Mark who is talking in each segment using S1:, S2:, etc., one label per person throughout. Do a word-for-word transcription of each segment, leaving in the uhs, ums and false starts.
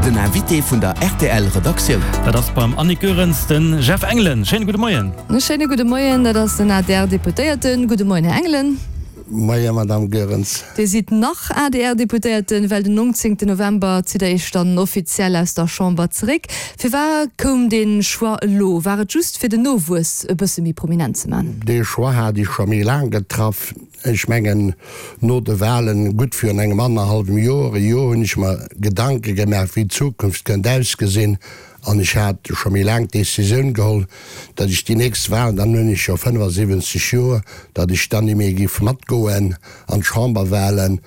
S1: Den Invité vun der R T L Redaktioun.
S2: Dat ass beim Annick Goerens de Jeff Engelen. Schéine gudde Moien.
S3: Schéine gudde Moien, dat ass den A D R-Deputéierten. Gudde Moien, Här Engelen.
S4: Moie, Madame Goerens.
S3: Dir sidd nach A D R-Deputéierten, well den nongzéngten November zitt der Iech dann offiziell aus der Chamber zeréck. Firwat koum dee Choix elo? War et just fir den Nowuess e bësse méi prominent ze man?
S4: Dee Choix hat ech scho méi laang getraff. Ech mengen, no de Wahlen, gutt virun engem annerhallwem Joer, e Joer, hunn ech mer Gedanke gemaach, wéi d'Zukunft kënnt ausgesinn. An ech hat scho méi laang d'Decisioun geholl, datt ech déi nächst Wahlen, dann hunn ech jo fënnefasiwwenzeg Joer, datt ech dann ni méi géif matgoen an d'Chamberwahlen.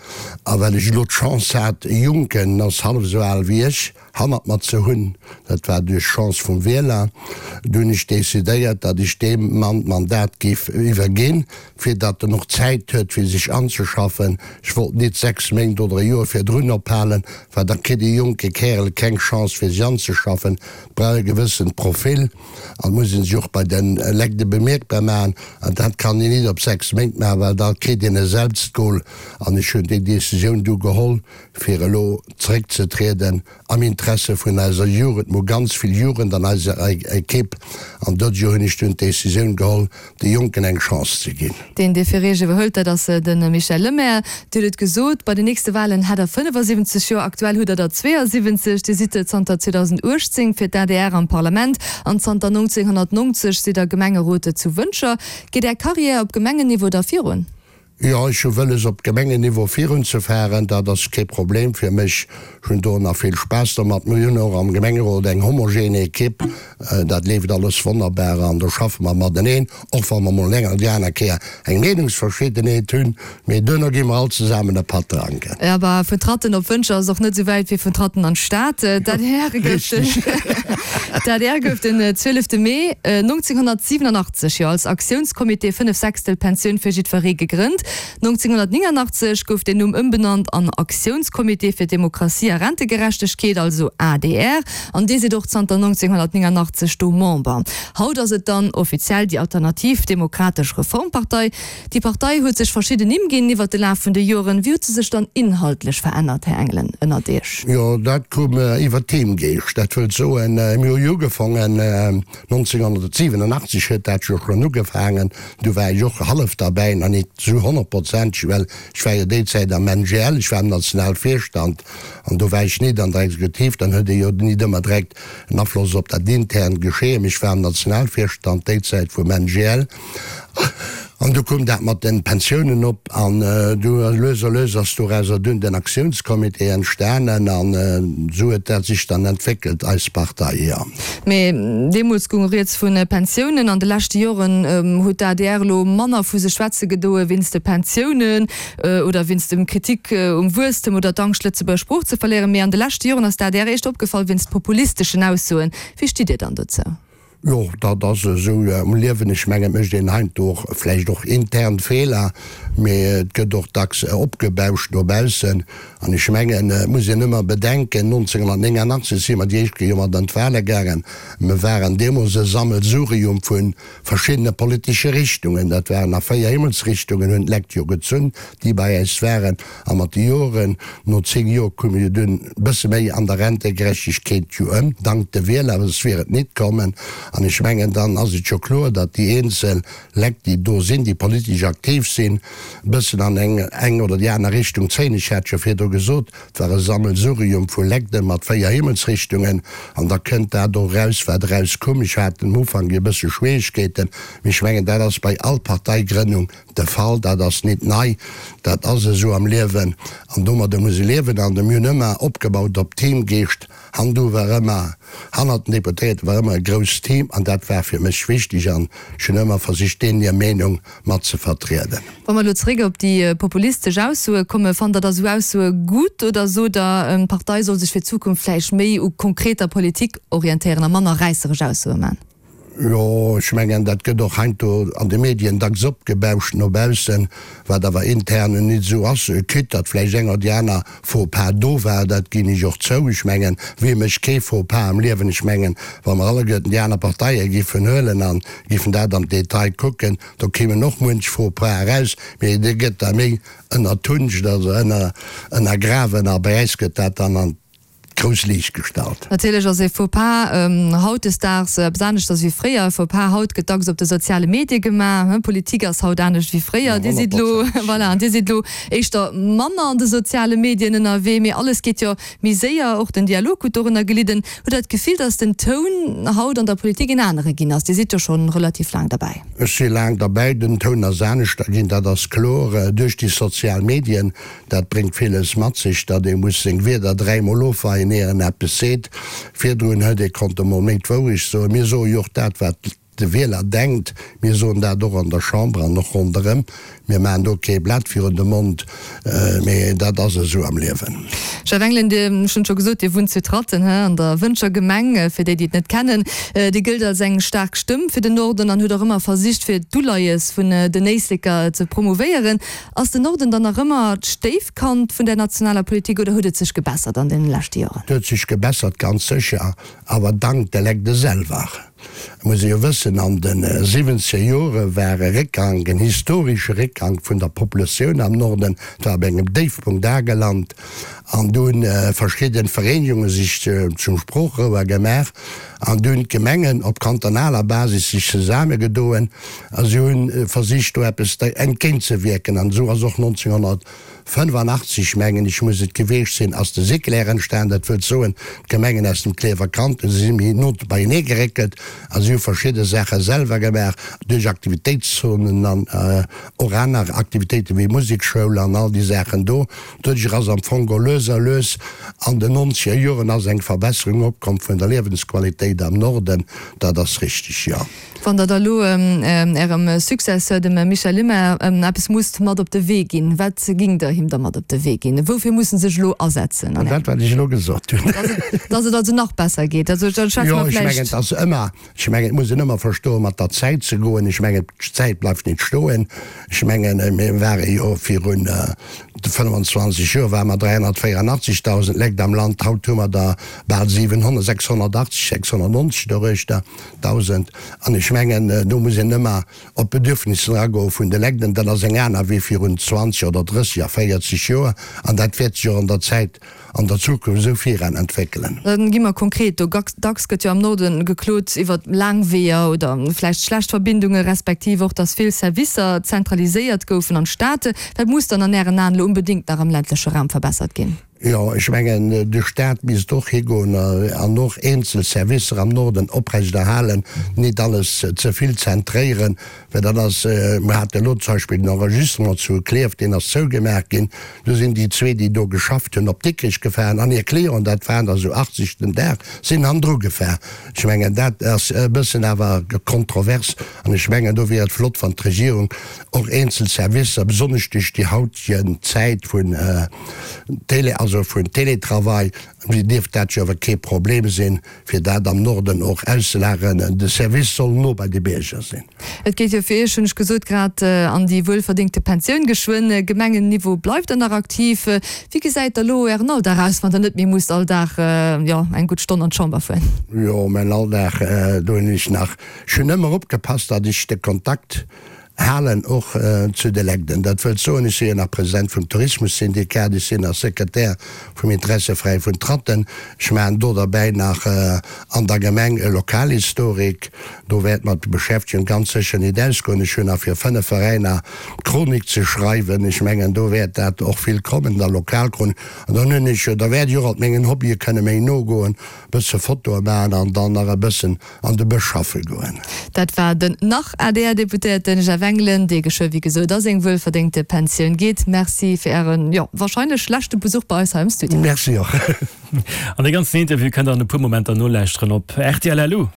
S4: A well ech elo d'Chance hat, e Jonken, ass hallef esou al wéi ech, hannert mer ze hunn, dat war duerch Chance vum Wieler, du hunn ech decidéiert, datt ech deem Mann d'Mandat géif iwwerginn, fir datt en och Zäit huet, fir sech anzeschaffen. Ech wollt nit sechs Méint oder e Joer virdrun ophalen, well da kritt e jonke Kärel keng Chance, fir sech anzeschaffen. Et brauch e gewëssent Profil an et muss ee sech och bei de Lekt bemierkbar maachen. An dat kann een nit op sechs Méint maachen, well da kritt een e Selbstgol. An ech hunn déi Decisioun du geholl, fir elo zeréckzetrieden am Interesse vun eiser Jugend. Mir hu ganz vill Jugend an eiser Ekipp an dofir hunn ech dunn d'Decisioun geholl, de Jonken eng Chance ze ginn.
S3: Deen, dee fir Iech iwwerhëlt, dat ass de Michel Lemaire. Dir hutt et gesot, bei den nächste Wahlen hätt Der fënnefasiwwenzeg Joer, aktuell hutt Der der zweeasiwwenzeg. Dir sidd zanter zweedausendachtzéng fir d'A D R am Parlament an zanter nongzénghonnertnonzeg sidd Der Gemengerot zu Wëntger. Geet Är Karriär op Gemengenniveau da virun?
S4: Jo, ech hu wëlles op Gemengenniveau virunzefueren, dat ass kee Problem fir mech. Ech hunn do nach vill Spaass domat. Mir hunn och am Gemengerot eng homogene Ekipp, dat leeft alles wonnerbar an do schaffe mer mateneen, och wa mer mol eng oder déi aner Kéier eng Meenungsverschiddenheet hunn, mee duerno gi mer all zesammen e Patt dranken.
S3: Jo, awer vun Tratten op Wëntger ass och net esou wäit wéi vun Tratten an d'Stad. D'A D R gouf den D'A D R gouf den zwielefte Mee nongzénghonnertsiwenanachtzeg jo als Aktiounscomité Fënnef Sechstel Pensioun fir jiddweree gegrënnt. nongzénghonnertnénganachtzeg gouf den Numm ëmbenannt an Aktiounscomité fir Demokratie a Rentegerechtegkeet, also A D R, an Dir sidd och zanter nongzénghonnertnénganachtzeg do Member. Haut ass et dann offiziell déi Alternativ Demokratesch Reformpartei. Déi Partei huet sech verschidden Nimm ginn iwwer de Laf vun de Joren. Wéi huet se sech dann inhaltlech verännert, Här Engelen, ënnert Iech?
S4: Jo, dat koum iwwer Teamgeescht. Dat wëllt soen, mir hu jo ugefaangen, nongzénghonnertsiwenanachtzeg huet dat jo schonn ugefaangen, du war ech och hallef derbäi, nach net zu honnertprozenteg, well ech war jo déi Zäit am N G L, ech war am Nationalvirstand an do war ech net an der Exekutiv, dann huet ee jo nit ëmmer direkt en Afloss op dat internt Geschehen, mee ech war am Nationalvirstand déi Zäit vum N G L an du koum dat mat den Pensiounen op an du lues a lues ass dorauser dunn den Aktiounscomité entstanen an esou huet dat sech dann entwéckelt, eis Partei, jo.
S3: Mee deemools goung rieds vu Pensiounen. An de leschte Joren huet d'A D R elo manner vu sech schwätze gedoe wéinst de Pensiounen oder wéinst dem Kritik um Wuesstem oder d'Angscht, Lëtzebuerger Sprooch ze verléieren. Mee an de leschte Joren ass d'A D R éischter opgefall wéinst populisteschen Aussoen. Wéi stitt Dir dann dozou?
S4: Jo, dat ass esou am Liewen. Ech mengen, et mécht een heiansdo och vläicht och intern Feeler, mee et gëtt och dacks opgebauscht no baussen. An ech mengen, et muss een ëmmer bedenken, nonzénghonnertnénganachtzeg si mer déi éischt Kéier jo mat an d'Wahle gaangen. Mer waren deemools e Sammelsurium vu verschiddene politesche Richtungen. Dat waren a véier Himmelsrichtungen hunn d'Lekt jo gezunn, déi bei äis waren. A mat de Joren, no zéng Joer, koume jo dunn e bësse méi an der Rentegerechtegkeet jo ëm, dank de Wieler, soss wier et nit kommen. An ech mengen, dann ass et jo kloer, datt déi eenzel Lekt, déi do sinn, déi politesch aktiv sinn, e bëssen an eng eng oder déi aner Richtung zéien. Ech hat jo virdru gesot, et war e Sammelsurium vu Lekte mat véier Himmelsrichtungen, an da kënnt dat och eraus, wat erauskoum. Ech hat am Ufank e bësse Schwierigkeeten, mee ech mengen, dat ass bei all Parteigrënnung de Fall, dat ass nit nei, dat ass esou am Liewen an domadder muss ee liewen. An mir hunn ëmmer opgebaut op Teamgeescht, handu war ëmmer, hannert den Deputéierte war ëmmer e grousst Team an dat war fir mech wichteg an ech hunn ëmmer versicht, deenen hir Meenung mat ze vertrieden.
S3: Wa mer elo zeréck op déi populistesch Aussoe kommen, fannt Der da sou Aussoe gutt oder sot Der, d'Partei soll sech fir d'Zukunft vläicht méi u konkreter Politik orientéieren a manner räisseresch Aussoe man?
S4: Jo, ech mengen, dat gëtt och heiansdo an de Medien dacks opgebauscht no baussen, wat awer intern nit esou ass. Quitte datt vläicht eng oder déi aner Faux-pas do war, dat ginn ech och zou. Ech mengen, wie mécht kee Faux-pas am Liewen? Ech mengen, wa mer alleguerten déi aner Parteie giffen huelen a giffen dat am Detail kucken, do kéimen och muench Faux-pas eraus, mee dee gëtt da méi ënnertunscht, also ënner ënnergrawen a bei äis gëtt dat dann an grouss Liicht gestallt.
S3: Natierlech ass e Faux-pas hautdesdaags eppes aneschters wéi fréier. E Faux-pas haut gëtt dacks op de soziale Medie gemaach. Politik ass haut anescht wéi fréier. Dir sidd elo, voilà, an Dir sidd elo éischter manner an de soziale Medien ënnerwee, mee alles geet jo méi séier, och den Dialog huet dorënner gelidden. Hutt Der d'Gefill, datt den Toun haut an der Politik en anere ginn ass? Dir sidd jo scho relativ laang derbäi.
S4: Ech si laang derbäi. Den Toun ass aneschter ginn, dat ass kloer, duerch déi sozial Medien. Dat bréngt villes mat sech, datt ee muss seng Wierder dräimol ofweien, ier en eppes seet. Virdrun huet ee konnte mol méi d'Wourecht soen. Mir soe jo och dat, wat de Wieler denkt. Mir soen dat och an der Chamber an och ronderëm. Mir maachen do kee Blat virun de Mond, mee dat ass esou am Liewen.
S3: Jeff Engelen, Dir, ech hunn et scho gesot, Dir wunnt zu Tratten, hä, an der Wëntger Gemeng, fir déi, déi et net kennen. Dir gëllt als eng staark Stëmm fir den Norden an hutt och ëmmer versicht, fir d'Uleies vun den Éisleker ze promouvéieren. Ass den Norden dann nach ëmmer d'Stéifkand vun der nationaler Politik oder huet et sech gebessert an deene leschte Joren?
S4: Et huet sech gebessert, ganz sécher, awer dank de Lecde selwer. Et muss ee jo wëssen, an de siwwenzeger Jore war e Réckgank, en historesche Réckgank vun der Populatioun am Norden, et war op engem Déifpunkt agelant an du hunn verschidde Vereenegunge sech zum Sproochrouer gemaach an du hunn d'Gemengen op kantonaler Basis sech zesaammegedoen a si hu versicht do eppes entgéintzewierken an esou ass och nonzénghonnertfënnefanachtzeg, mengen ech muss et geweecht sinn, ass de Siclair entstan, dat wëllt soen, d'Gemengen aus dem Klierfer Kanton si méi no beienee geréckelt a si hu verschidde Saache selwer gemaach duerch Aktivitéitszonen an och aner Aktivitéiten wéi Musekschoul an all déi Saachen do. Doduerch ass am Fong geholl lues a lues an den nonzeger Joren ass eng Verbesserung opkomm vun der Liewensqualitéit am Norden, dat ass richtig, jo.
S3: Wann Der da elo Ärem Successeur, dem Michel Lemaire, eppes musst mat op de Wee ginn, wat gingt Der him da mat op de Wee ginn? Woufir muss en sech elo asetzen?
S4: Dat, wat ech elo gesot hunn.
S3: Dass et also nach besser geet. Also da schwätze
S4: Jo,
S3: mer
S4: ech mengen,
S3: vläicht.
S4: et ass ëmmer, ech mengen, et muss een ëmmer verstoen, mat der Zäit ze goen. Ech mengen, d'Zäit bleift net stoen. Ech mengen, mir ware jo virun fënnwanzwanzeg Joer ware mer dräihonnertvéierundachtzigtausend Lekt am Land, haut hu mer der bal siwenhonnert, sechshonnertachtzeg, sechshonnertneunzeg doruechter dausend. An ech mengen, do muss een ëmmer op d'Bedürfnisser agoe vun de Lekt. An dat ass eng aner wéi virun zwanzeg oder drësseg a véierzeg Joer. An dat wäert sech och an der Zäit, an der Zukunft esou viran entwéckelen.
S3: Da gi mer konkret. Do dacks gëtt jo am Norde geklot iwwer laang Weeër oder vläicht schlecht Verbindunge respektiv och, datt vill Servicer zentraliséiert goufen an d'Stad. Wat muss dann an Ären Aen elo unbedéngt nach am ländleche Raum verbessert ginn?
S4: Jo, ech mengen, de Staat misst och higoen an och eenzel Servicer am Norden oprechterhalen, nit alles ze vill zentréieren, well dat ass, mir hate elo zum Beispill den Enregistrement zu Klierf, deen ass zougemaach ginn, do sinn déi zwee, déi do geschafft hunn, op Dikrech gefahren an hir Clienten, dat waren der esou achtzeg den Dag, sinn hannendru gefahr. Ech mengen, dat ass e bëssen awer kontrovers an ech mengen, do wier et flott, wann d'Regierung och eenzel Servicer, besonnesch duerch déi hautegen Zäit vun Télé, also vun Télétravail, dierft dat jo awer kee Problem sinn, fir dat am Norden och auszelageren. De Service soll no bei de Bierger sinn.
S3: Et geet jo fir Iech, hunn ech gesot, grad an déi wuelverdéngte Pensioun geschwënn. Gemengenniveau bleift Der nach aktiv. Wéi gesäit da lo Ären Alldag aus, wann Der net méi musst all Dag, jo, eng gutt Stonn an d'Chamber fueren?
S4: Jo, mäin Alldag, do hunn ech nach, ech hunn ëmmer opgepasst, datt ech de Kontakt halen och zu de Legden. Dat wëllt soen, ech si jo nach President vum Tourismussyndikat, ech sinn nach Sekretär vum Interesseveräi vun Tratten, ech maachen do derbäi nach an der Gemeng e Lokalhistorik. Do wäert mer d'Beschäftegung ganz sécher nit ausgoen. Ech hunn nach fir fënnef Veräiner d'Chronik ze schreiwen. Ech mengen, do wäert dat och vill kommen, der Lokalchronik. An dann hunn ech jo, da wäert ech och alt mengen Hobbye kënne méi nogoen, e bësse Fotoe maachen an dann nach e bëssen an de Bësch schaffe goen.
S3: Dat war den Nach-A D R-Deputéierten Jeff Engelen, dee geschwë wéi gesot a seng wuelverdéngte Pensioun geet. Merci fir Ären, jo, warscheinlech leschte Besuch bei eis hei am Studio.
S4: Merci och.
S2: An dee ganzen Interview kënnt der an e puer Momenter nolauschteren op rtl. Lu.